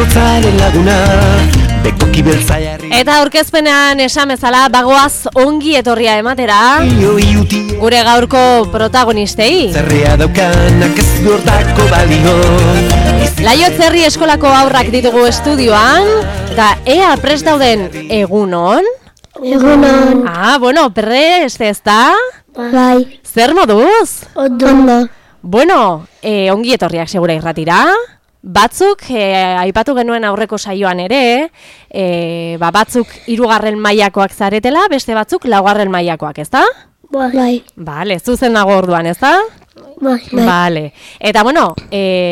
bihotzaren laguna, bekoki beltza jarri. Eta aurkezpenean esan bezala bagoaz ongi etorria ematera gure gaurko protagonistei. Zerrea daukanak ez du hortako balio. Laiotz Herri eskolako haurrak ditugu estudioan, eta ea prest dauden egunon? Egunon. Bueno, prest ezta? Bai. Zer moduz? Ondo. Bueno, ongi etorriak segura irratira. Batzuk, aipatu genuen aurreko saioan ere, batzuk 3. mailakoak zaretela, beste batzuk 4. mailakoak, ezta? Bai. Bale, zuzen nago orduan, ezta? Bai. Bale. Eta bueno,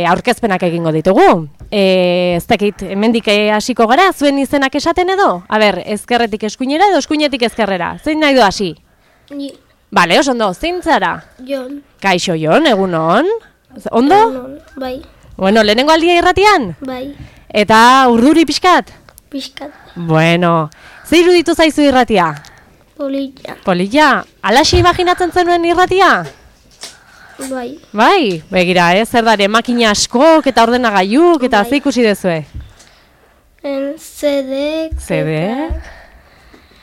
aurkezpenak egingo ditugu. Ez dakit, hemendik hasiko gara, zuen izenak esaten edo? A ber, ezkerretik eskuinera edo eskuinetik ezkerrera? Zein nahi du hasi? Ni. Bale, oso ondo, zein zara? Jon. Kaixo Jon, egunon? Ondo? Egunon. Bai. Bueno, lehenengo aldia irratian? Bai. Eta urduri pixkat? Piskat. Bueno, ze iruditu zaizu irratia? Polilla. Polilla, alaxi imaginatzen zenuen irratia? Bai. Bai, begira, zer dare, makina askok eta ordenagailuk eta ze ikusi dezue? CD. CD?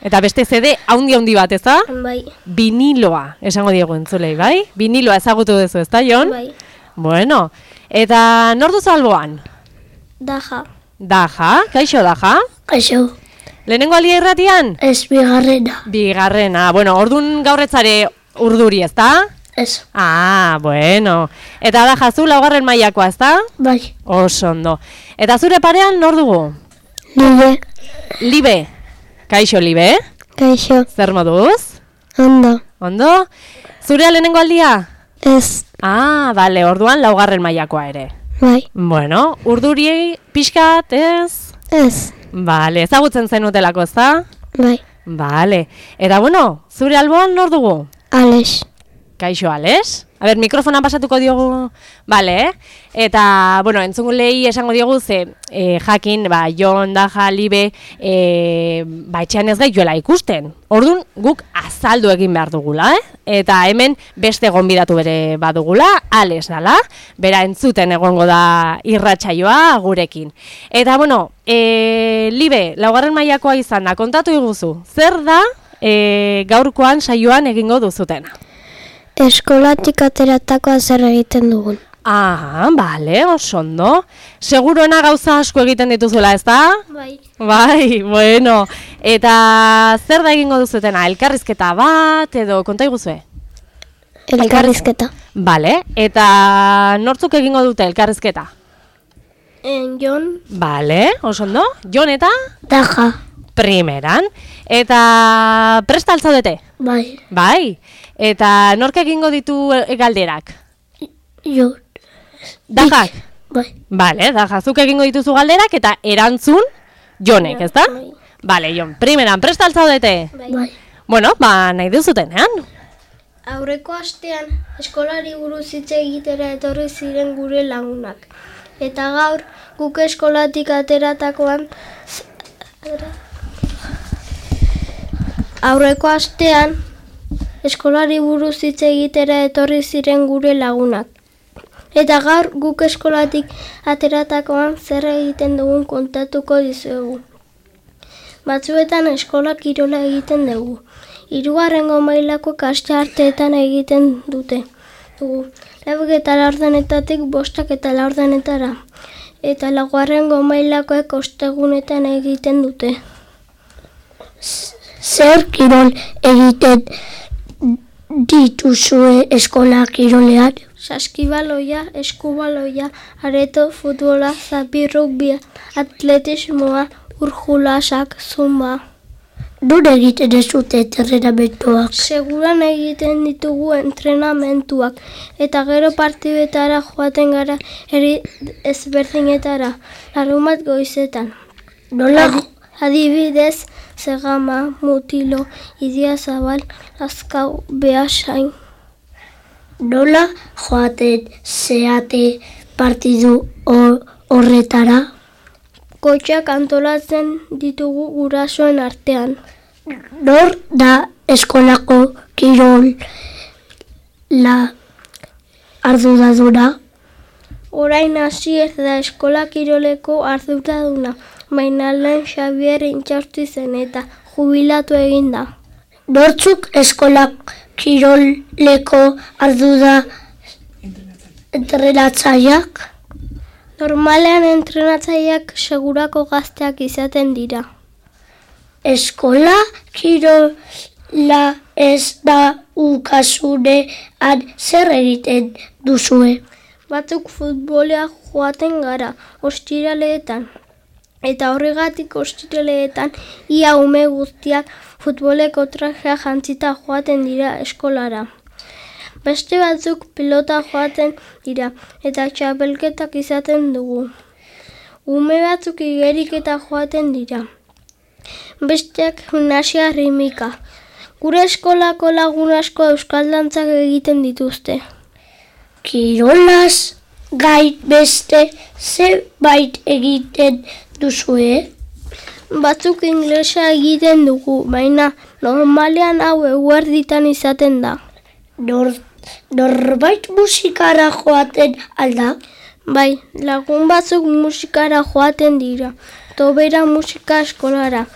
Eta beste CD haundi bat, ezta? Bai. Viniloa, esango diegu entzulei, bai? Viniloa ezagutu duzu, ezta, Jon? Bai. Bueno, eta nor duzu alboan? Daja. Daja, kaixo Daja? Kaixo. Lehenengo alia irratian? Ez bigarrena. Bigarrena, bueno, ordun gaurretzare urduri, ezta? Ez. Bueno. Eta Daja, zu 4. mailakoa, ezta? Bai. Oso ondo. Eta zure parean nor dugu? Libe. Libe. Kaixo Libe? Kaixo. Zer moduz? Ondo. Ondo? Zure lehenengo aldia? Ez. Bale, orduan 4. mailakoa ere. Bai. Bueno, urduri pixkat, ez? Ez. Bale, ezagutzen zenutelako, ezta? Bai. Bale. Eta bueno, zure alboan nor dugu? Alex. Kaixo, Alex? A ber, mikrofonan pasatuko diogu, bale, Eta, bueno, entzungulei esango diogu ze, jakin, Jon, Daja, Libe, etxean ez gaituela ikusten. Orduan, guk azaldu egin behar dugula, Eta hemen beste gonbidatu bere badugula, Alex dala, bera entzuten egongo da irratsaioa gurekin. Eta, bueno, Libe, 4. mailakoa izan da, kontatu iguzu, zer da gaurkoan saioan egingo duzutena? Eskolatik ateratakoa zer egiten dugun. Bale, oso ondo. Seguruena gauza asko egiten dituzula, ezta? Bai. Bai, bueno. Eta zer da egingo duzutena? Elkarrizketa bat edo konta iguzue? Elkarrizketa. Bale, eta nortzuk egingo dute elkarrizketa? Jon. Bale, oso ondo. Jon eta? Daja. Primeran. Eta prest al zaudete? Bai. Bai. Eta nork egingo ditu galderak? Jon. Dajak? Bai. Bale, Daja, zuk egingo dituzu galderak eta erantzun Jonek, ezta? Bai. Bale, Jon, primeran, prest al zaudete? Bai. Bueno, nahi duzutenean. Aurreko astean eskolari buruz hitz egitera etorri ziren gure lagunak. Eta gaur guk eskolatik ateratakoan aurreko astean eskolari buruz hitz egitera etorri ziren gure lagunak. Eta gaur guk eskolatik ateratakoan zer egiten dugun kontatuko dizuegu. Batzuetan eskola kirola egiten dugu. 3. mailako ikastetxeetan egiten dugu. 4:00 5:00 eta 4. mailakoek ostegunetan egiten dute. Zer kirol egiten dituzue eskola kirolean? Saskibaloia, eskubaloia, areto, futbola, zapi, rugbia, atletismoa, urjulasak, zumba. Non egiten ez dute entrenamentuak? Seguran egiten ditugu entrenamentuak eta gero partidetara joaten gara eri ezberdinetara, larunbat goizetan. Nola? Adibidez, Zegama, Mutilo, Idiazabal, Lazkau, Beasain. Nola joaten zeate partidu horretara? Kotxeak antolatzen ditugu gurasoen artean. Nor da eskolako kirol la arduraduna? orain hasi ez da eskola kiroleko arduraduna, baina lehen Xabier intxausti zen eta jubilatu egin da. Nortzuk eskola kiroleko ardura entrenatzaileak? Normalean entrenatzaileak segurako gazteak izaten dira. Eskola kirola ez da ukasunean zer egiten duzue? Batzuk futbolea joaten gara, ostiraleetan. Eta horregatik ostiraleetan ia ume guztiak futboleko trajea jantzita joaten dira eskolara. Beste batzuk pilota joaten dira eta txapelketak izaten dugu. Ume batzuk igeriketa joaten dira. Besteak gimnasia ritmika. Gure eskolako lagun asko euskal dantzak egiten dituzte. Kirolaz gain beste zenbait egiten duzue? Batzuk inglesa egiten dugu, baina normalean hau eguerditan izaten da. Norbait musikara joaten alda? Bai, lagun batzuk musikara joaten dira, tobera musika eskolara.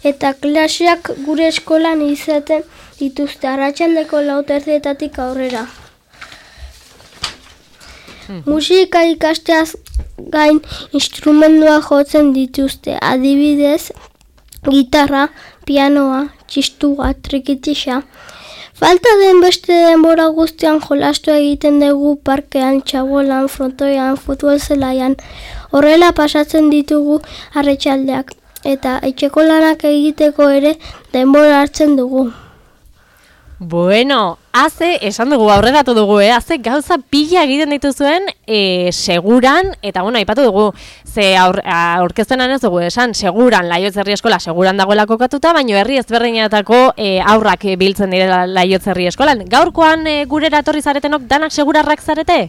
Eta klaseak gure eskolan izaten dituzte arratsaldeko 4:00 aurrera. Musika ikasteaz gain instrumendua jotzen dituzte, adibidez, gitarra, pianoa, txistua, trikitixa. Falta den beste denbora guztian jolastu egiten dugu parkean, txabolan, frontoian, futbol zelaian. Horrela pasatzen ditugu arratsaldeak eta etxeko lanak egiteko ere denbora hartzen dugu. Bueno, haze, esan dugu, aurreratu dugu, haze gauza pila egiten dituzuen seguran, eta bueno, aipatu dugu, ze aurkezpenan ez dugu esan, seguran, Laiotz Herri Eskola seguran dagoela kokatuta, baina herri ezberdinetako aurrak biltzen direla Laiotz Herri Eskolan. Gaurkoan gurera etorri zaretenok danak segurarrak zarete?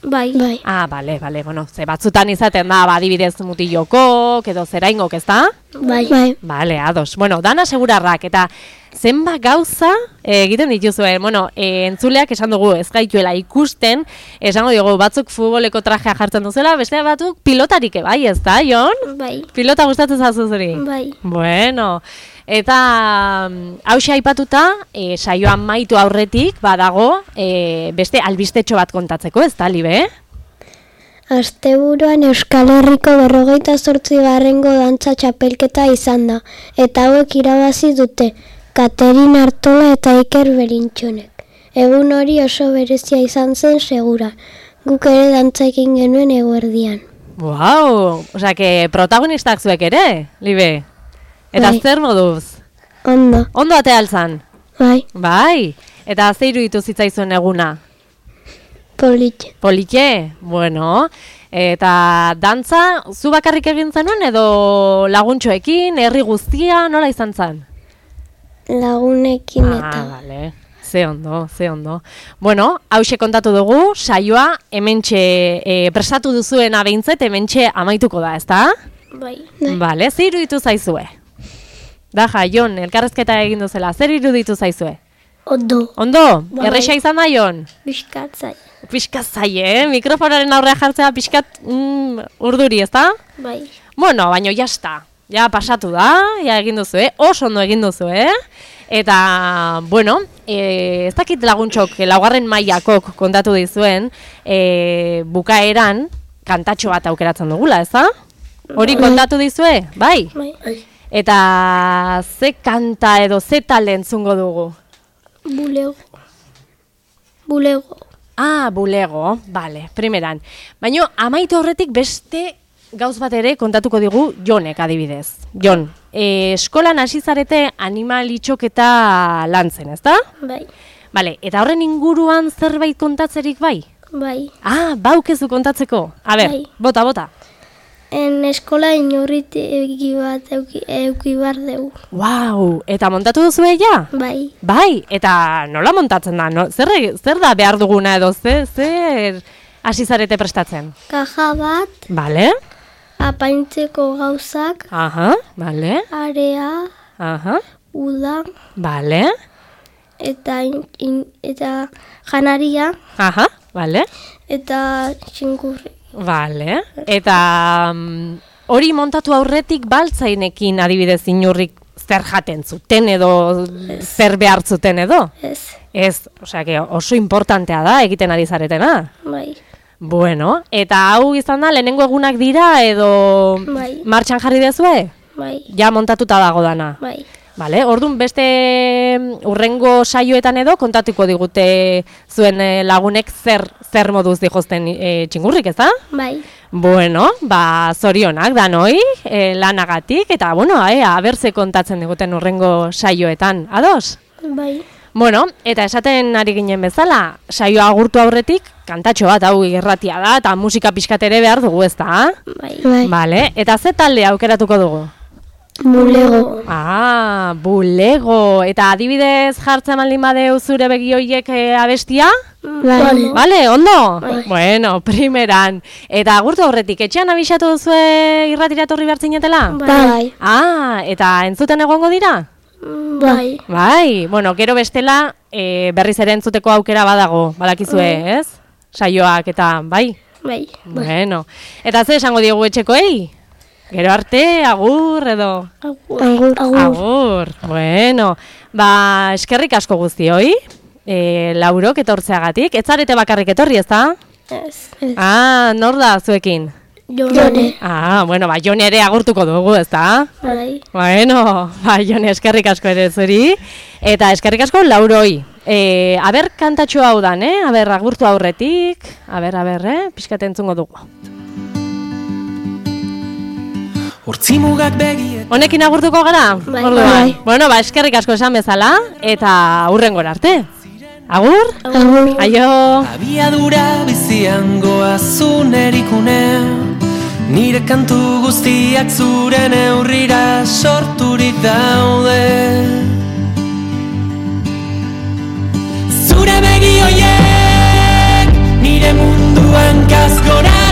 Bai. Ah, bale, bueno, ze batzutan izaten da, adibidez mutilokok, edo zeraingok, ez da? Bai. Bale, ados. Bueno, dana segurarrak, eta zenba gauza egiten dituzue. Bueno, entzuleak esan dugu ez gaituela ikusten, esango dugu batzuk futboleko trajea jartzen duzela, beste batzuk pilotarik bai, ez da, Jon? Bai. Pilota gustatzen zazu zuri? Bai. Bueno, eta hauxe aipatuta, saioan maitu aurretik badago beste albistetxo bat kontatzeko, ez da, Libe? Asteburuan Euskal Herriko 48. dantza txapelketa izan da, eta hauek irabazi dute, Katerin Artola eta Iker Berintxonek. Egun hori oso berezia izan zen segura, guk ere dantza egin genuen eguerdian. Wow, osea, que protagonistak zuek ere, Libe? Eta Bai. zer moduz? Ondo, Ondo ate altzan? bai, Bai, eta ze iruditu zitzaizuen eguna? politxe. Politxe? Bueno, eta dantza zu bakarrik egin zenuen edo laguntxoekin, herri guztia, nola izan zen? Lagunekin eta. Bale. Ze ondo. Bueno, hauxe kontatu dugu, saioa hementxe prestatu duzuena behintzet, hementxe amaituko da, ezta? Bai. Bale, zer iruditu zaizue? Daja, Jon, elkarrezketa egin duzela, zer iruditu zaizue? Ondo. Ondo? Bai. Erresa izan da, Jon? Bizkatzai. Pixkat zaie, mikrofonaren aurrea jartzea pixkat urduri, ezta? Bai. Bueno, baino jasta. Ja pasatu da, ja egin duzu, oso ondo egin duzu, Eta, bueno, ez dakit laguntxok, laugarren mailakok kontatu dizuen, bukaeran kantatxo bat aukeratzen dugula, ezta? Hori kontatu dizue, bai? Bai. Eta ze kanta edo ze talde entzungo dugu? Bulego. Ah, bulego, bale, primeran. Baina amaitu horretik beste gauz bat ere kontatuko digu Jonek adibidez. Jon, eskolan hasi zarete animalitxoketa lantzen, ezta? Bai. Bale, eta horren inguruan zerbait kontatzerik bai? Bai. Ah, baukezu kontatzeko. A ber, Bai. bota. En eskola inurritegi bat euki bar dugu. Wow, eta montatu duzu ja? Bai. Bai, eta nola montatzen da? No? Zer da behar duguna edo zer hasi zarete prestatzen? Kaja bat, Bale? apaintzeko gauzak, Aha, bale. area, Aha, uda bale. eta janaria, Aha, Vale? eta txingurri. Vale. Eta hori montatu aurretik baltzainekin adibidez inurrik zer jaten zuten edo zer behar zuten edo? Ez, Ez, osea, oso importantea da egiten ari zaretena. bai, Bueno, eta hau izan da lehenengo egunak dira edo Bai. martxan jarri dezue? bai, Ja montatuta dago dana. bai. Vale, orduan beste urrengo saioetan edo kontatuko digute zuen lagunek zer moduz dijozten txingurrik, ez da? Bai, Bueno, zorionak danoi lanagatik eta bueno, abertze kontatzen diguten urrengo saioetan, ados? bai, Bueno, eta esaten ari ginen bezala, saioa agurtu aurretik, kantatxo bat hau irratia da, eta musika pixkat ere behar dugu, ez da? bai. Bai. Vale, eta ze talde aukeratuko dugu? Bulego. Bulego. Eta adibidez jartzen baldin badeu zure begi hoiek abestia? Bai. Vale, ondo? Bueno, primeran. Eta agurtu aurretik, etxean abisatu duzue irratira etorri behar zinetela? Bai. Eta entzuten egongo dira? Bai, Bai, bueno, gero bestela berriz ere entzuteko aukera badago, badakizue, ez? Saioak eta, bai? bai. Bueno, eta ze esango diegu etxekoei? Gero arte, agur edo? Agur. Agur, bueno, eskerrik asko guztioi, laurok etortzeagatik, ez zarete bakarrik etorri, ez da? Ez. Nor da zuekin? Jone. Bueno, Jone ere agurtuko dugu, ez da? Bai, Bueno, Jone, eskerrik asko ere zuri, eta eskerrik asko lauroi. Aber kantatxo hau dan, aber agurtu aurretik, aber, pixkat entzungo dugu. Hortzimugak begiet Honekin agurtuko gara? Bai. Orduan. Bai. Bueno, eskerrik asko esan bezala, eta hurrengora arte. Agur? Agur. Aio! Abiadura bizian goazun erikune Nire kantu guztiak zure neurrira sorturik daude Zure begi hoiek nire munduan kasgora